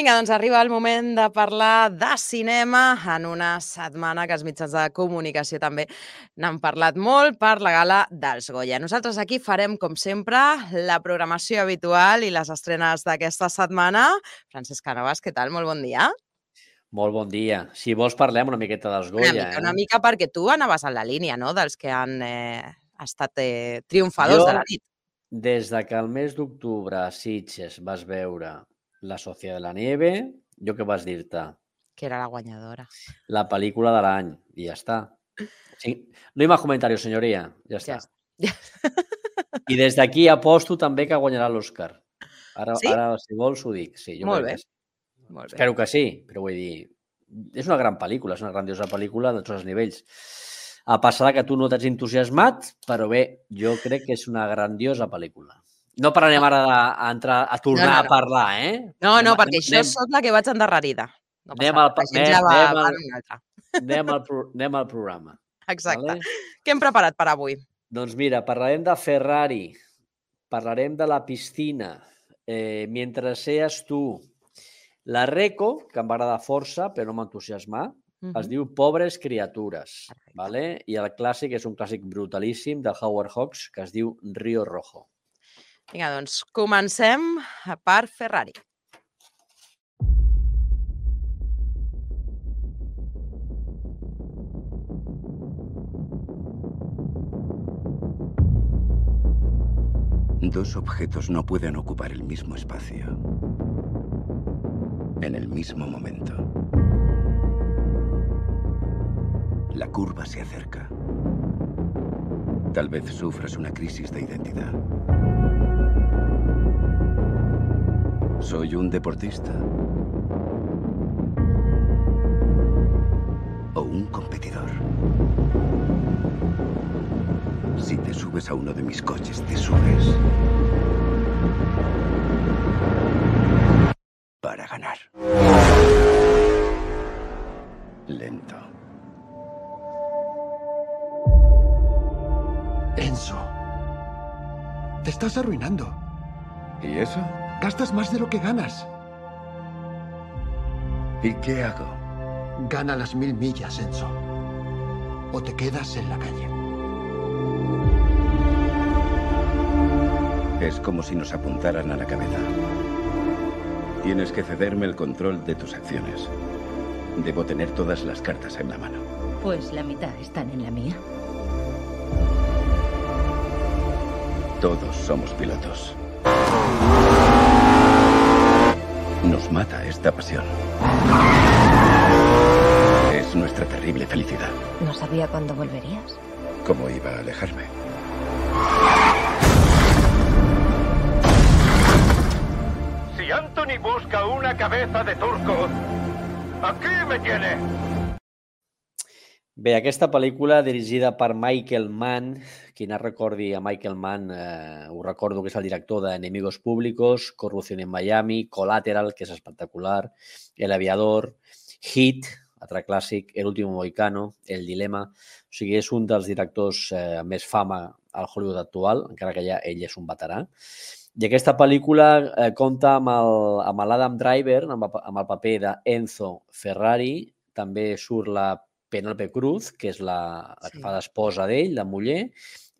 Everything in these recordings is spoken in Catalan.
Vinga, doncs arriba el moment de parlar de cinema en una setmana que els mitjans de comunicació també n'han parlat molt per la gala dels Goya. Nosaltres aquí farem, com sempre, la programació habitual i les estrenes d'aquesta setmana. Francesc Canovas, què tal? Molt bon dia. Molt bon dia. Si vols parlem una miqueta dels Goya, Una mica perquè tu anaves en la línia, no?, dels que han estat triomfadors de la nit. Des de que el mes d'octubre a Sitges vas veure La Sociedad de la Nieve, jo què vas dir-te? Que era la guanyadora. La pel·lícula de l'any, i ja està. Sí. No hi ha comentarios, senyoria. Ja està. I des d'aquí aposto també que guanyarà l'Òscar. Ara, si vols, ho dic. Sí, jo crec que sí. Espero que sí, però vull dir, és una gran pel·lícula, és una grandiosa pel·lícula de tots els nivells. A passar que tu no t'has entusiasmat, però bé, jo crec que és una grandiosa pel·lícula. No parlarem ara a tornar a parlar, eh? No, perquè això soc la que vaig endarrerida. Anem al programa. Exacte. Què hem preparat per avui? Doncs mira, parlarem de Ferrari, parlarem de la piscina, Mientras seas tú, la Reco, que em va agradar força, però no m'entusiasmar, es diu Pobres criatures, i el clàssic és un clàssic brutalíssim de Howard Hawks que es diu Río Rojo. Vinga, doncs comencem per Ferrari. Dos objetos no pueden ocupar el mismo espacio en el mismo momento. La curva se acerca. Tal vez sufras una crisis de identidad. ¿Soy un deportista? ¿O un competidor? Si te subes a uno de mis coches, te subes para ganar. Lento. Enzo, te estás arruinando. ¿Y eso? Gastas más de lo que ganas. ¿Y qué hago? Gana las 1000 millas, Enzo. O te quedas en la calle. Es como si nos apuntaran a la cabeza. Tienes que cederme el control de tus acciones. Debo tener todas las cartas en la mano. Pues la mitad están en la mía. Todos somos pilotos. Nos mata esta pasión. Es nuestra terrible felicidad. No sabía cuándo volverías. ¿Cómo iba a alejarme? Si Anthony busca una cabeza de turco, aquí me tiene. Bé, aquesta pel·lícula dirigida per Michael Mann, qui no recordi a Michael Mann, ho recordo que és el director de Enemigos Públicos, Corrupción en Miami, Collateral, que és espectacular, El Aviador, Heat, altre clàssic, El último mohicano, El dilema. O sigui, és un dels directors amb més fama al Hollywood actual, encara que ja ell és un veterà. I aquesta pel·lícula compta amb l'Adam Driver, amb el paper d'Enzo Ferrari, també surt la Penélope Cruz, que és la que fa d'esposa d'ell, la muller,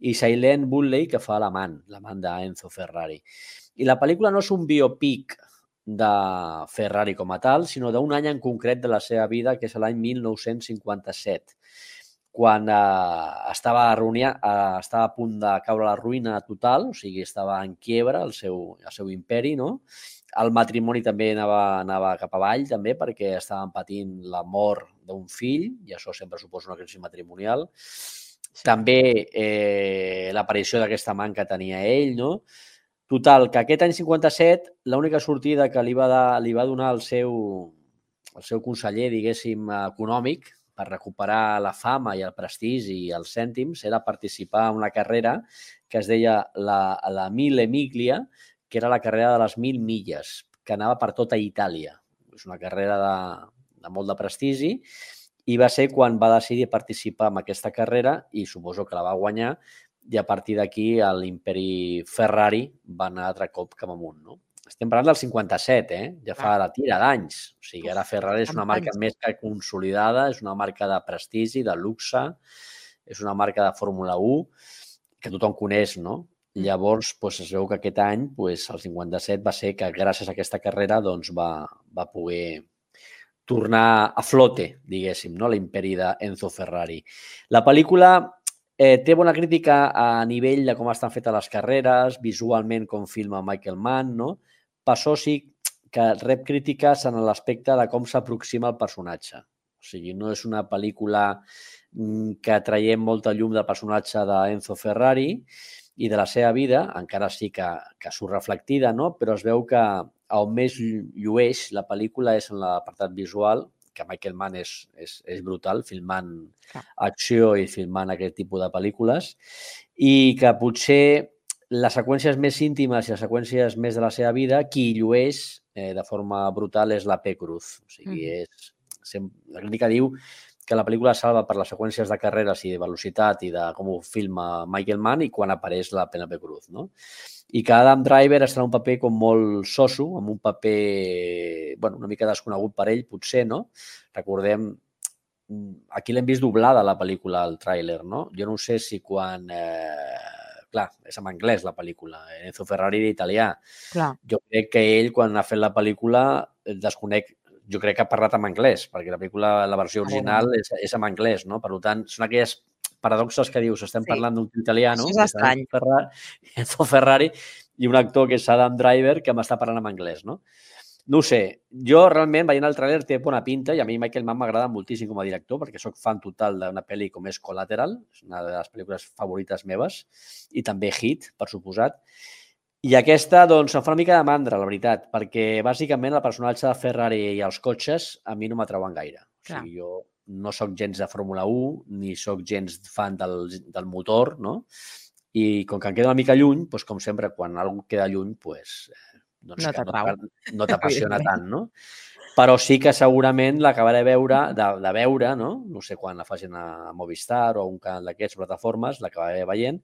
i Shailene Woodley, que fa l'amant d'Enzo Ferrari. I la pel·lícula no és un biopic de Ferrari com a tal, sinó d'un any en concret de la seva vida, que és l'any 1957, quan estava a punt de caure a la ruïna total, o sigui, estava en quiebra el seu imperi, no? El matrimoni també anava cap avall, també, perquè estaven patint la mort d'un fill, i això sempre suposa una crisi matrimonial. També l'aparició d'aquesta amant que tenia ell, no? Total, que aquest any 57, l'única sortida que li va donar el seu conseller, diguéssim, econòmic, per recuperar la fama i el prestigi i els cèntims, era participar en una carrera que es deia la Mille Miglia, que era la carrera de les 1000 milles, que anava per tota Itàlia. És una carrera de molt de prestigi i va ser quan va decidir participar en aquesta carrera i suposo que la va guanyar i a partir d'aquí l'imperi Ferrari va anar altre cop cap amunt, no? estem parlant del 57, ja fa la tira d'anys. O sigui, ara Ferrari és una marca més que consolidada, és una marca de prestigi, de luxe, és una marca de Fórmula 1 que tothom coneix, no? Llavors, es veu que aquest any, el 57, va ser que gràcies a aquesta carrera va poder tornar a flote, diguéssim, no? L'imperi d'Enzo Ferrari. La pel·lícula té bona crítica a nivell de com estan fetes les carreres, visualment com filma Michael Mann, no? Per això sí que rep crítiques en l'aspecte de com s'aproxima el personatge. O sigui, no és una pel·lícula que traiem molta llum del personatge d'Enzo Ferrari i de la seva vida, encara sí que surt reflectida, no? Però es veu que on més llueix la pel·lícula és en l'apartat visual, que Michael Mann és brutal, filmant acció i filmant aquest tipus de pel·lícules, i que potser les seqüències més íntimes i les seqüències més de la seva vida, qui llueix de forma brutal és la P. Cruz. O sigui, la crítica diu que la pel·lícula salva per les seqüències de carreres i de velocitat i de com ho filma Michael Mann i quan apareix la Penélope Cruz, no? I que Adam Driver estarà un paper com molt soso, amb un paper una mica desconegut per ell, potser, no? Recordem, aquí l'hem vist doblada la pel·lícula, el tràiler, no? Jo no sé si quan... Clar, és en anglès la pel·lícula, Enzo Ferrari era italià. Jo crec que ell, quan ha fet la pel·lícula, desconec, jo crec que ha parlat en anglès, perquè la pel·lícula, la versió original és en anglès, no? Per tant, són aquelles paradoxes que dius, estem parlant d'un italià, no? Això és estrany. Enzo Ferrari i un actor que és Adam Driver que m'està parlant en anglès, no? No ho sé. Jo realment, veient el tràiler, té bona pinta i a mi Michael Mann m'agrada moltíssim com a director perquè sóc fan total d'una pel·li com és Collateral, és una de les pel·lícules favorites meves, i també Hit, per suposat. I aquesta, doncs, em fa una mica de mandra, la veritat, perquè bàsicament el personatge de Ferrari i els cotxes a mi no m'atrauen gaire. O sigui, jo no sóc gens de Fórmula 1, ni sóc gens fan del motor, no? I com que em queda una mica lluny, doncs, com sempre, quan algú queda lluny, no t'apassiona tant, no? Però sí que segurament l'acabaré de veure, no? No sé quan la facin a Movistar o a un canal d'aquestes plataformes, l'acabaré veient,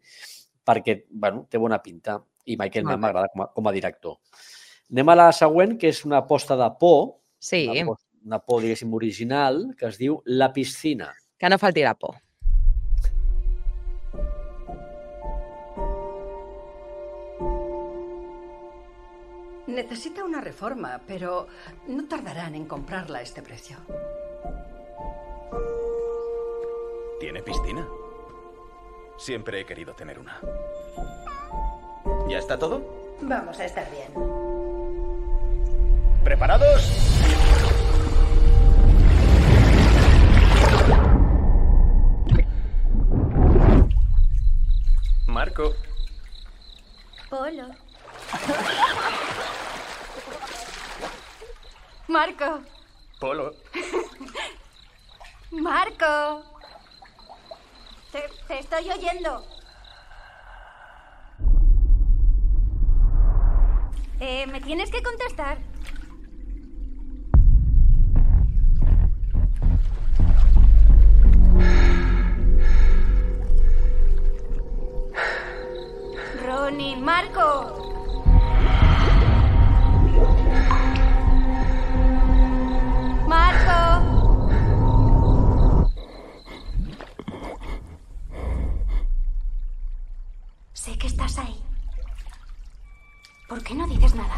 perquè, té bona pinta i Michael Mann m'agrada com a director. Anem a la següent, que és una aposta de por, una por, diguéssim, original, que es diu La piscina. Que no falti la por. Necesita una reforma, pero no tardarán en comprarla a este precio. ¿Tiene piscina? Siempre he querido tener una. ¿Ya está todo? Vamos a estar bien. ¿Preparados? Marco. Polo. Marco. Polo. Marco. Te estoy oyendo. Me tienes que contestar. Ronnie, Marco. Marco. Sé que estás ahí. ¿Por qué no dices nada?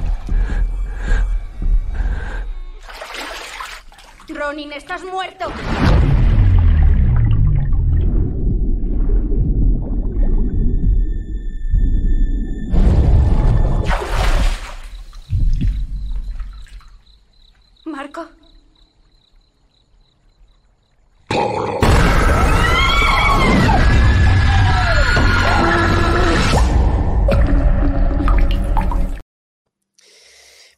Ronin, estás muerto. Marco.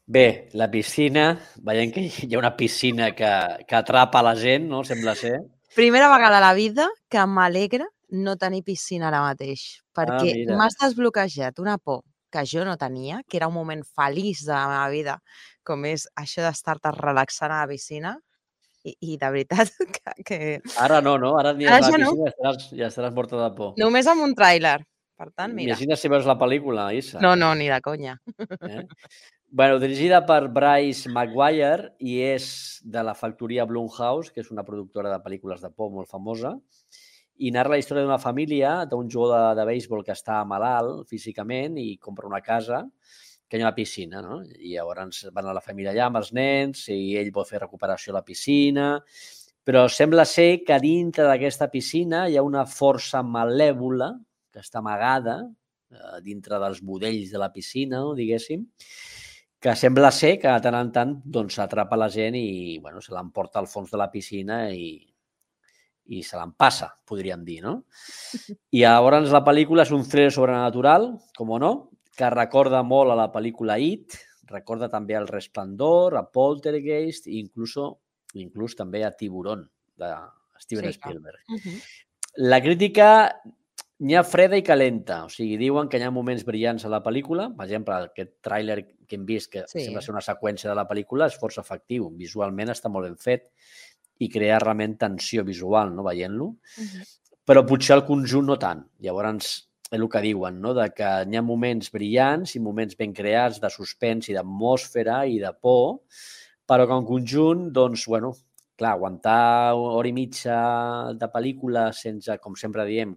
Bé, la piscina, veiem que hi ha una piscina que atrapa la gent, no? Sembla ser. Primera vegada a la vida que m'alegra no tenir piscina ara mateix, perquè m'has desbloquejat una por que jo no tenia, que era un moment feliç de la meva vida, com és això d'estar-te relaxant a la piscina, i de veritat que... Ara no, no? Ara ni a la piscina ja estaràs morta de por. Només amb un tràiler. Per tant, mira. Imagina si veus la pel·lícula, Isa. No, ni de conya. Bueno, dirigida per Bryce Maguire i és de la factoria Blumhouse, que és una productora de pel·lícules de por molt famosa, i narra la història d'una família, d'un jugador de béisbol que està malalt físicament i compra una casa que hi ha una piscina, no? I llavors van a la família allà amb els nens i ell vol fer recuperació a la piscina, però sembla ser que dintre d'aquesta piscina hi ha una força malèvola que està amagada dintre dels budells de la piscina, diguéssim, que sembla ser que de tant en tant doncs, atrapa la gent i bueno, se l'emporta al fons de la piscina i se l'empassa, podríem dir, no? I llavors la pel·lícula és un thriller sobrenatural, com o no, que recorda molt a la pel·lícula It, recorda també al Resplendor, a Poltergeist i inclús també a Tiburón, de Steven Spielberg. La crítica n'hi ha freda i calenta, o sigui, diuen que hi ha moments brillants a la pel·lícula, per exemple, aquest tràiler que hem vist, que sembla ser una seqüència de la pel·lícula, és força efectiu, visualment està molt ben fet i crea realment tensió visual, no, veient-lo, però potser el conjunt no tant. Llavors, és el que diuen, no? De que hi ha moments brillants i moments ben creats de suspens i d'atmosfera i de por, però que en conjunt, doncs, bueno, clar, aguantar hora i mitja de pel·lícula sense, com sempre diem,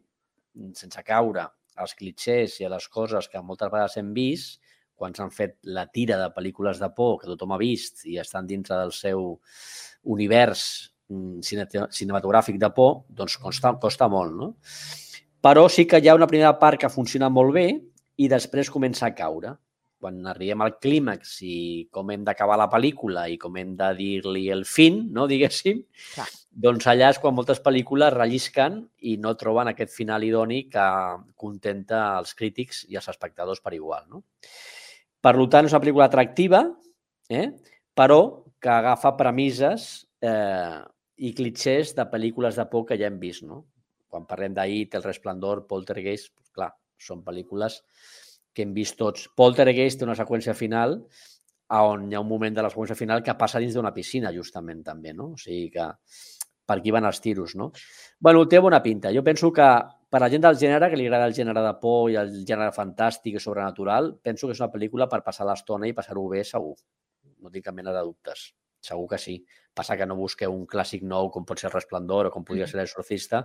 sense caure als clitxers i a les coses que moltes vegades hem vist, quan s'han fet la tira de pel·lícules de por que tothom ha vist i estan dintre del seu univers cinematogràfic de por, doncs costa molt, no? Però sí que hi ha una primera part que funciona molt bé i després comença a caure. Quan arribem al clímax i com hem d'acabar la pel·lícula i com hem de dir-li el fin, no, diguéssim, doncs allà és quan moltes pel·lícules rellisquen i no troben aquest final idoni que contenta els crítics i els espectadors per igual, no? Per tant, és una pel·lícula atractiva, però que agafa premisses i clitxers de pel·lícules de por que ja hem vist, no? Quan parlem d'It, El Resplendor, Poltergeist, clar, són pel·lícules que hem vist tots. Poltergeist té una seqüència final on hi ha un moment de la seqüència final que passa dins d'una piscina, justament, també, no? O sigui que per aquí van els tiros, no? Bueno, té bona pinta. Jo penso que per a la gent del gènere, que li agrada el gènere de por i el gènere fantàstic i sobrenatural, penso que és una pel·lícula per passar l'estona i passar-ho bé, segur. No tinc cap mena de dubtes. Segur que sí. Passa que no busqueu un clàssic nou com pot ser Resplendor o com podria ser L'Exorcista,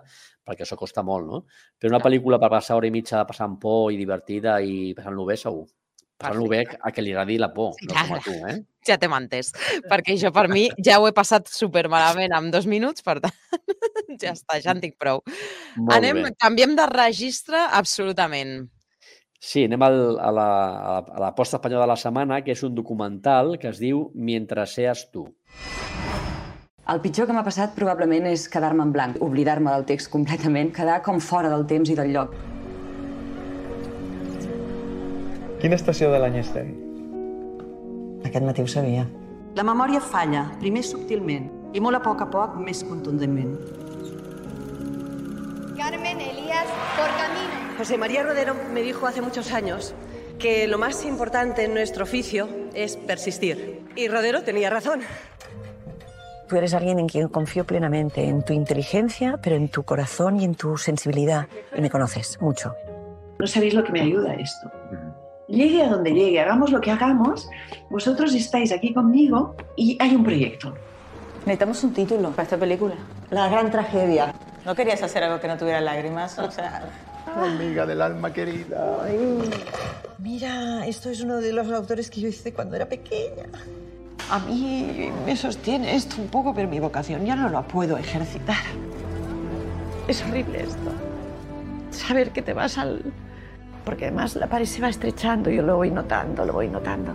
perquè això costa molt, no? Però una pel·lícula per passar hora i mitja passant por i divertida i passant-lo bé, segur. Passant-lo bé a que li agradi la por, no com a tu, eh? Ja t'hem entès, perquè jo per mi ja ho he passat supermalament en 2 minuts, per tant, ja està, ja en tinc prou. Canviem de registre absolutament. Sí, anem a l'aposta espanyola de la setmana, que és un documental que es diu Mientras seas tú. El pitjor que m'ha passat probablement és quedar-me en blanc, oblidar-me del text completament, quedar com fora del temps i del lloc. Quina estació de l'any estem? Aquest matí ho sabia. La memòria falla, primer subtilment, i molt a poc, més contundentment. Carmen Elías, por camino. José María Rodero me dijo hace muchos años que lo más importante en nuestro oficio es persistir. Y Rodero tenía razón. Tú eres alguien en quien confío plenamente, en tu inteligencia, pero en tu corazón y en tu sensibilidad. Y me conoces mucho. No sabéis lo que me ayuda esto. Llegue a donde llegue, hagamos lo que hagamos, vosotros estáis aquí conmigo y hay un proyecto. Necesitamos un título para esta película. La gran tragedia. ¿No querías hacer algo que no tuviera lágrimas? O sea... Amiga del alma querida. Ay. Mira, esto es uno de los autores que yo hice cuando era pequeña. A mí me sostiene esto un poco, pero mi vocación ya no la puedo ejercitar. Es horrible esto. Saber que te vas al... Porque además la pared se va estrechando, yo lo voy notando, lo voy notando.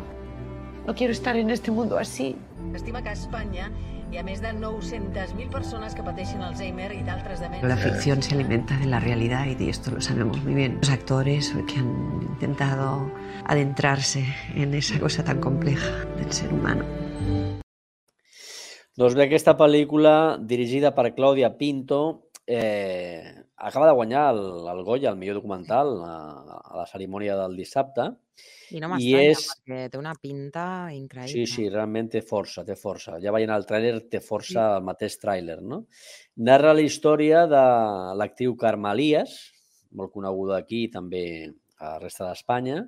No quiero estar en este mundo así. Estima que a Espanya hi ha més de 900.000 persones que pateixen Alzheimer i d'altres demències. La ficción se alimenta de la realidad y esto lo sabemos muy bien. Los actores que han intentado adentrarse en esa cosa tan compleja del ser humano. Doncs bé, aquesta pel·lícula, dirigida per Clàudia Pinto, acaba de guanyar el Goya, el millor documental, a la cerimònia del dissabte. I no m'estranya, perquè té una pinta increïble. Sí, realment té força, té força. Ja veient el tràiler, té força el mateix tràiler, no? Narra la història de l'actriu Carme Elias, molt coneguda aquí i també a la resta d'Espanya,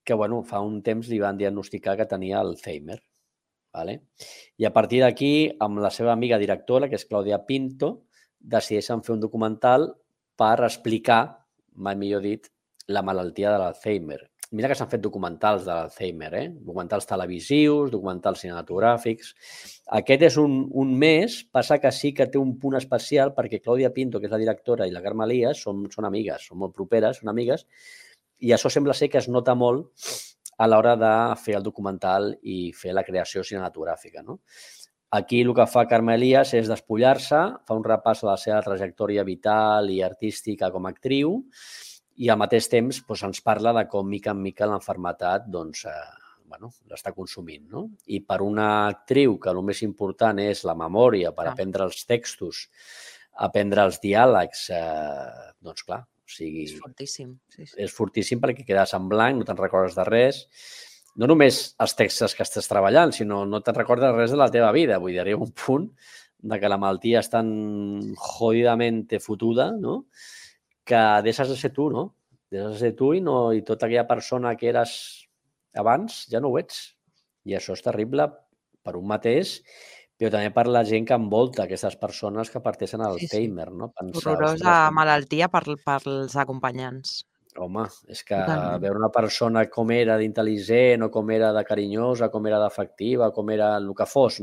que fa un temps li van diagnosticar que tenia Alzheimer. I a partir d'aquí, amb la seva amiga directora, que és Clàudia Pinto, decideixen fer un documental per explicar, mai millor dit, la malaltia de l'Alzheimer. Mira que s'han fet documentals de l'Alzheimer, documentals televisius, documentals cinematogràfics. Aquest és un més, passa que sí que té un punt especial perquè Clàudia Pinto, que és la directora, i la Carme Elias són amigues, són molt properes, són amigues, i això sembla ser que es nota molt a l'hora de fer el documental i fer la creació cinematogràfica. Aquí el que fa Carme Elias és despullar-se, fa un repàs a la seva trajectòria vital i artística com a actriu i al mateix temps ens parla de com mica en mica l'enfermetat l'està consumint. I per una actriu que el més important és la memòria per aprendre els textos, aprendre els diàlegs, doncs clar, és fortíssim. És fortíssim perquè quedes en blanc, no te'n recordes de res. No només els textos que estàs treballant, sinó no te'n recordes res de la teva vida. Vull dir, hi ha un punt que la malaltia és tan jodidament fotuda, que deixes de ser tu, no? Deixes de ser tu i tota aquella persona que eres abans ja no ho ets. I això és terrible per un mateix, però també per la gent que envolta aquestes persones que parteixen a l'Alzheimer. Horrorosa malaltia pels acompanyants. Home, és que veure una persona com era d'intel·ligent o com era de carinyosa, com era d'afectiva, com era el que fos,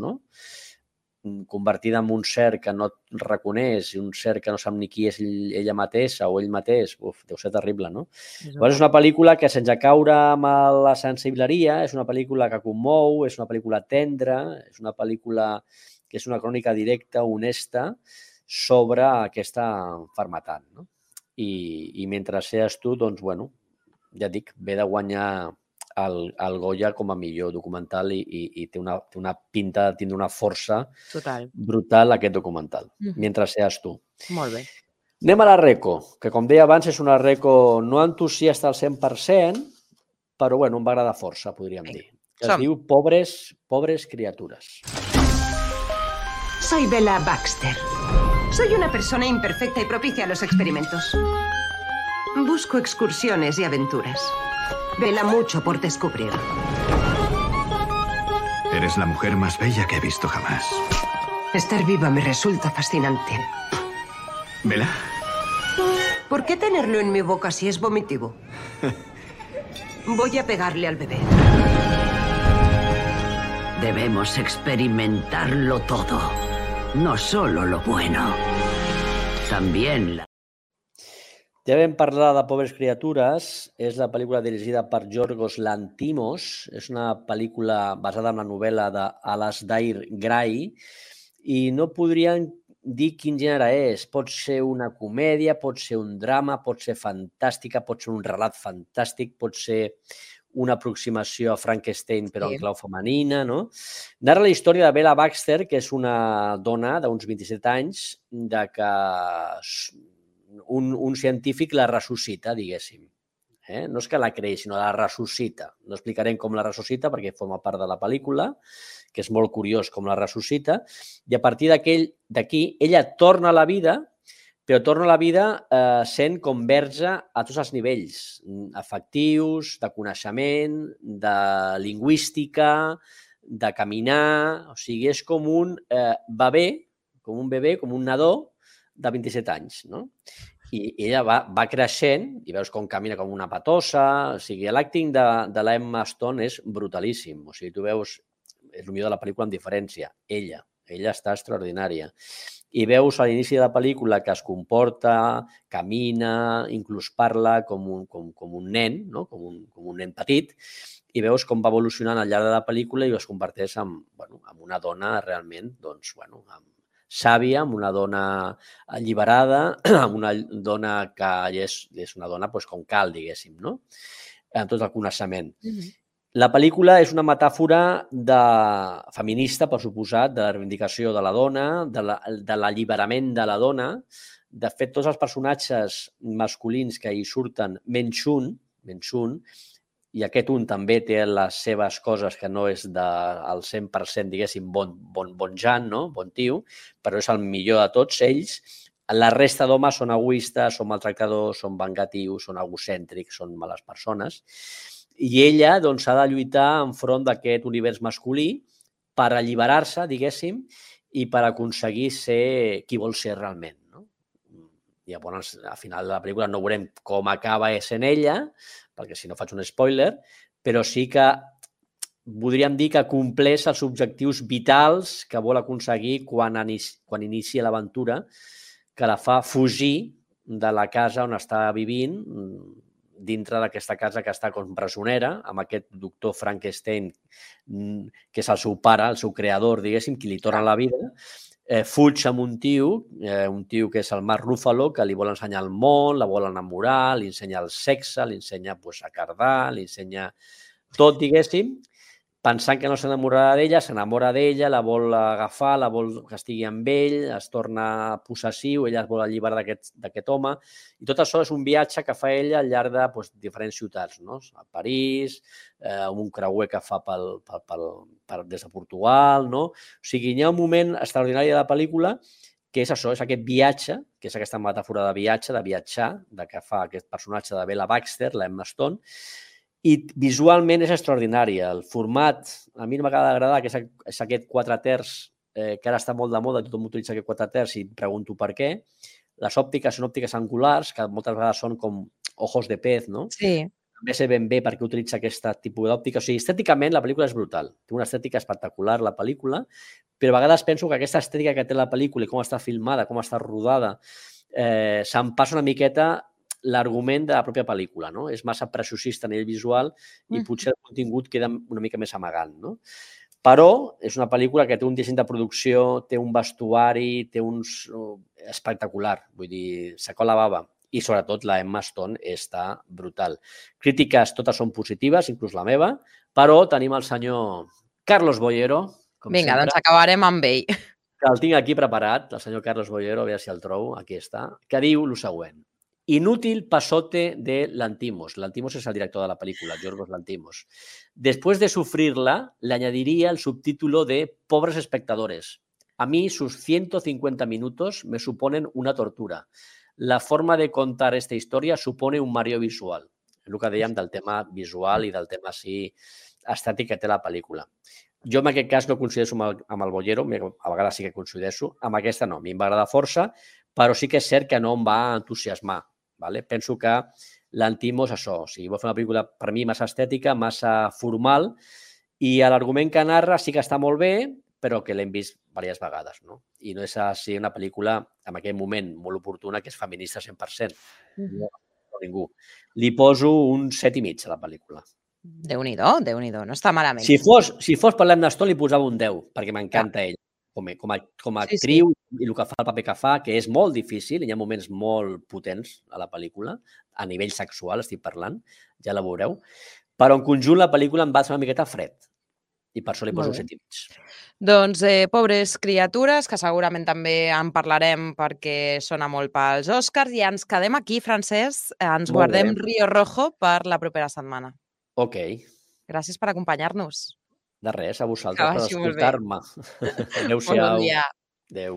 convertida en un ser que no et reconeix i un ser que no sap ni qui és ella mateixa o ell mateix, deu ser terrible, no? És una pel·lícula que, sense caure amb la sensibleria, és una pel·lícula que commou, és una pel·lícula tendra, és una pel·lícula que és una crònica directa, honesta, sobre aquesta malaltia, no? I mentre seas tu, doncs, ja et dic, ve de guanyar el Goya com a millor documental i té una pinta de tindre una força brutal aquest documental, mentre seas tu. Molt bé. Anem a la reco, que com deia abans és una reco no entusiasta al 100%, però em va agradar força, podríem dir. Es diu Pobres criatures. Soy Bella Baxter. Soy una persona imperfecta y propicia a los experimentos. Busco excursiones y aventuras. Vela mucho por descubrir. Eres la mujer más bella que he visto jamás. Estar viva me resulta fascinante. ¿Vela? ¿Por qué tenerlo en mi boca si es vomitivo? Voy a pegarle al bebé. Debemos experimentarlo todo. No solo lo bueno. También la... Ja vam parlar de Pobres criatures. És la pel·lícula dirigida per Yorgos Lanthimos. És una pel·lícula basada en la novel·la d'Alasdair Gray i no podrien dir quin gènere és. Pot ser una comèdia, pot ser un drama, pot ser fantàstica, pot ser un relat fantàstic, pot ser una aproximació a Frankenstein però en clau femenina, no? Narra la història de Bella Baxter, que és una dona d'uns 27 anys, de que un científic la ressuscita, diguéssim. No és que la creï, sinó la ressuscita. No explicarem com la ressuscita perquè forma part de la pel·lícula, que és molt curiós com la ressuscita, i a partir d'aquí ella torna a la vida, però torna a la vida sent com verge a tots els nivells, afectius, de coneixement, de lingüística, de caminar... O sigui, és com un bebè, com un nadó de 27 anys, no? I ella va creixent i veus com camina com una patossa. O sigui, l'acting de l'Emma Stone és brutalíssim. O sigui, tu veus, és el millor de la pel·lícula amb diferència, ella està extraordinària. I veus a l'inici de la pel·lícula que es comporta, camina, inclús parla com un nen, no? Com un nen petit, i veus com va evolucionant al llarg de la pel·lícula i es converteix en una dona realment sàvia, amb una dona alliberada, amb una dona que és una dona com cal, diguéssim, no? Amb tot el coneixement. La pel·lícula és una metàfora feminista, per suposat, de la reivindicació de la dona, de l'alliberament de la dona. De fet, tots els personatges masculins que hi surten, menys un, i aquest un també té les seves coses que no és del 100%, diguéssim, bon Jan, no? Bon tio, però és el millor de tots ells. La resta d'homes són egoistes, són maltractadors, són vengatius, són egocèntrics, són males persones. I ella doncs, ha de lluitar enfront d'aquest univers masculí per alliberar-se, diguéssim, i per aconseguir ser qui vol ser realment. No? I llavors, al final de la pel·lícula no veurem com acaba sent ella, perquè si no faig un spoiler, però sí que podríem dir que compleix els objectius vitals que vol aconseguir quan inicia l'aventura, que la fa fugir de la casa on està vivint, dintre d'aquesta casa que està com presonera, amb aquest doctor Frankenstein, que és el seu pare, el seu creador, diguéssim, qui li torna la vida, fuig amb un tio que és el Mark Ruffalo, que li vol ensenyar el món, la vol enamorar, li ensenya el sexe, li ensenya a cardar, li ensenya tot, diguéssim, pensant que no s'enamorarà d'ella, s'enamora d'ella, la vol agafar, la vol que estigui amb ell, es torna possessiu, ella es vol alliberar d'aquest home, i tot això és un viatge que fa ella al llarg de diferents ciutats, no? A París, amb un creuer que fa des de Portugal, no? O sigui, hi ha un moment extraordinari de la pel·lícula que és això, és aquest viatge, que és aquesta metàfora de viatge, de viatjar, que fa aquest personatge de Bella Baxter, la Emma Stone, i visualment és extraordinària. El format, a mi m'acaba d'agradar, que és aquest 4/3, que ara està molt de moda, tothom utilitza aquest 4/3 i pregunto per què. Les òptiques són òptiques angulars, que moltes vegades són com ojos de pez, no? Sí. També sé ben bé per què utilitza aquest tipus d'òptica. O sigui, estèticament la pel·lícula és brutal. Té una estètica espectacular, la pel·lícula, però a vegades penso que aquesta estètica que té la pel·lícula i com està filmada, com està rodada, se'n passa una miqueta l'argument de la pròpia pel·lícula, no? És massa preciosista a nivell visual i potser el contingut queda una mica més amagant, no? Però és una pel·lícula que té un disseny de producció, té un vestuari, té uns... espectacular, vull dir, s'acó la bava. I sobretot la Emma Stone està brutal. Crítiques totes són positives, inclús la meva, però tenim el senyor Carlos Bollero, com Vinga, sempre. doncs acabarem amb ell. Que el tinc aquí preparat, el senyor Carlos Bollero, a veure si el trobo, aquí està, que diu el següent. Inútil pasote de Lanthimos. Lanthimos es el director de la película, Yorgos Lanthimos. Después de sufrirla, le añadiría el subtítulo de Pobres espectadores. A mí sus 150 minutos me suponen una tortura. La forma de contar esta historia supone un mareo visual. És el que dèiem del tema visual i del tema estètic que té la pel·lícula. Jo en aquest cas no coincideixo amb el Bollero, a vegades sí que coincideixo, amb aquesta no, a mi em va agradar força, però sí que és cert que no em va entusiasmar. Vale? Penso que Lanthimos, això, o sigui, vol fer una pel·lícula per mi massa estètica, massa formal, i l'argument que narra sí que està molt bé, però que l'hem vist diverses vegades, no? I no és així una pel·lícula, en aquell moment, molt oportuna, que és feminista 100%. No ningú. Li poso un 7,5 a la pel·lícula. Déu-n'hi-do, no està malament. Si fos per l'Emma Stone, li posava un 10, perquè m'encanta ell. Com a actriu i el que fa, el paper que fa, que és molt difícil, hi ha moments molt potents a la pel·lícula, a nivell sexual estic parlant, ja la veureu, però en conjunt la pel·lícula em va ser una miqueta fred i per això li poso un 7,5. Doncs Pobres criatures, que segurament també en parlarem perquè sona molt pels Oscars, i ens quedem aquí, Francesc, ens guardem Río Rojo per la propera setmana. Ok. Gràcies per acompanyar-nos. De res, a vosaltres per escoltar-me. Adéu-siau. Bon dia. Adéu.